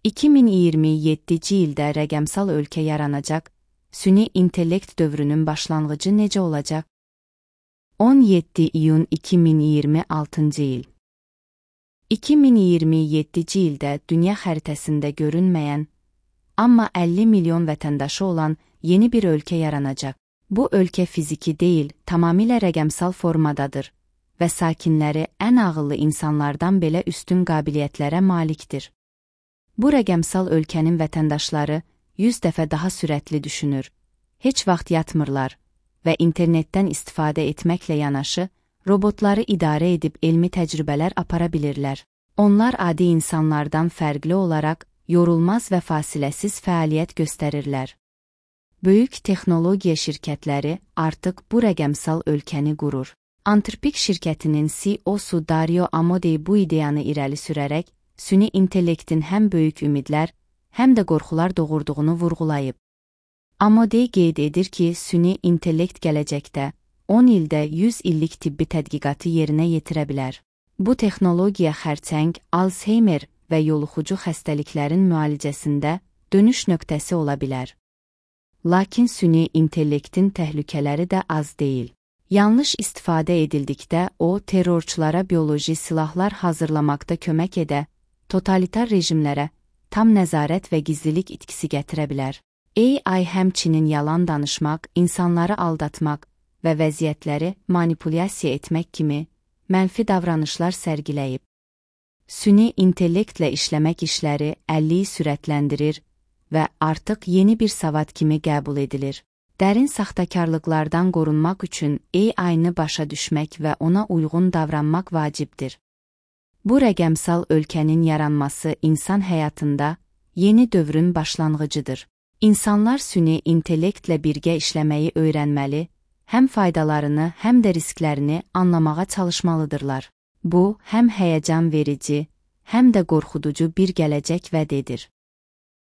2027-ci ildə rəqəmsal ölkə yaranacaq, süni intellekt dövrünün başlanğıcı necə olacaq? 17 iyun 2026-cı il 2027-ci ildə dünya xəritəsində görünməyən, amma 50 milyon vətəndaşı olan yeni bir ölkə yaranacaq. Bu ölkə fiziki deyil, tamamilə rəqəmsal formadadır və sakinləri ən ağıllı insanlardan belə üstün qabiliyyətlərə malikdir. Bu rəqəmsal ölkənin vətəndaşları 100 dəfə daha sürətli düşünür, heç vaxt yatmırlar və internetdən istifadə etməklə yanaşı, robotları idarə edib elmi təcrübələr apara bilirlər. Onlar adi insanlardan fərqli olaraq yorulmaz və fasiləsiz fəaliyyət göstərirlər. Böyük texnologiya şirkətləri artıq bu rəqəmsal ölkəni qurur. Anthropic şirkətinin CEO-su Dario Amodei bu ideyanı irəli sürərək, süni intellektin həm böyük ümidlər, həm də qorxular doğurduğunu vurğulayıb. Amodei qeyd edir ki, süni intellekt gələcəkdə 10 ildə 100 illik tibbi tədqiqatı yerinə yetirə bilər. Bu texnologiya xərçəng, Alzheimer və yoluxucu xəstəliklərin müalicəsində dönüş nöqtəsi ola bilər. Lakin süni intellektin təhlükələri də az deyil. Yanlış istifadə edildikdə o, terrorçulara bioloji silahlar hazırlamaqda kömək edə, totalitar rejimlərə tam nəzarət və gizlilik itkisi gətirə bilər. AI həmçinin yalan danışmaq, insanları aldatmaq və vəziyyətləri manipulyasiya etmək kimi mənfi davranışlar sərgiləyib. Süni intellektlə işləmək işləri 50-yi sürətləndirir və artıq yeni bir savad kimi qəbul edilir. Dərin saxtakarlıqlardan qorunmaq üçün AI-nı başa düşmək və ona uyğun davranmaq vacibdir. Bu rəqəmsal ölkənin yaranması insan həyatında yeni dövrün başlanğıcıdır. İnsanlar süni intellektlə birgə işləməyi öyrənməli, həm faydalarını, həm də risklərini anlamağa çalışmalıdırlar. Bu, həm həyəcan verici, həm də qorxuducu bir gələcək vəd edir.